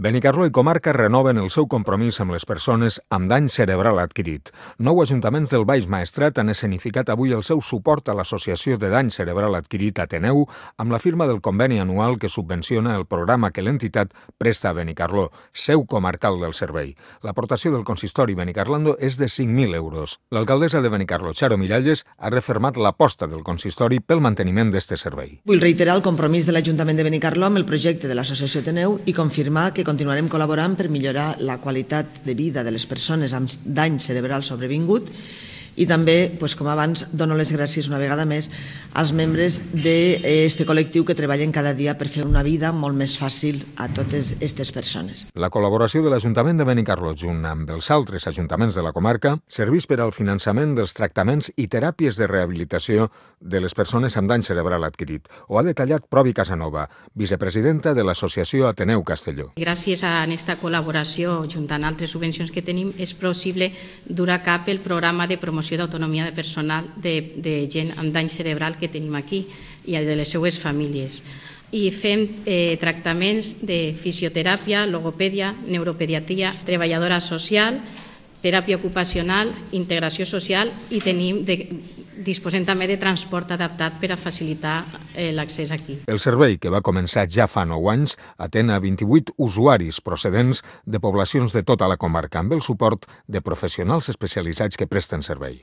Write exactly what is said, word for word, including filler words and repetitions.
Benicarló i comarca renoven el seu compromís amb les persones amb dany cerebral adquirit. Nou ajuntaments del Baix Maestrat han escenificat avui el seu suport a l'Associació de Dany Cerebral Adquirit Ateneu amb la firma del conveni anual que subvenciona el programa que l'entitat presta a Benicarló, seu comarcal del servei. L'aportació del consistori benicarlando és de cinc mil euros. L'alcaldessa de Benicarló, Charo Miralles, ha refermat l'aposta del consistori pel manteniment d'este servei. Vull reiterar el compromís de l'Ajuntament de Benicarló amb el projecte de l'Associació Ateneu i confirmar que continuarem col·laborant per millorar la qualitat de vida de les persones amb dany cerebral sobrevingut i també, doncs, com abans, dono les gràcies una vegada més als membres d'aquest col·lectiu que treballen cada dia per fer una vida molt més fàcil a totes aquestes persones. La col·laboració de l'Ajuntament de Benicarló junt amb els altres ajuntaments de la comarca serveix per al finançament dels tractaments i teràpies de rehabilitació de les persones amb dany cerebral adquirit. Ho ha detallat Provi Casanova, vicepresidenta de l'Associació Ateneu Castelló. Gràcies a aquesta col·laboració, junt amb altres subvencions que tenim, és possible dur a cap el programa de promoció d'autonomia de personal de, de gent amb dany cerebral que tenim aquí i de les seues famílies. I fem eh, tractaments de fisioteràpia, logopèdia, neuropediatria, treballadora social, teràpia ocupacional, integració social i tenim de, disposem també de transport adaptat per a facilitar eh, l'accés aquí. El servei, que va començar ja fa nou anys, atén a vint-i-vuit usuaris procedents de poblacions de tota la comarca amb el suport de professionals especialitzats que presten servei.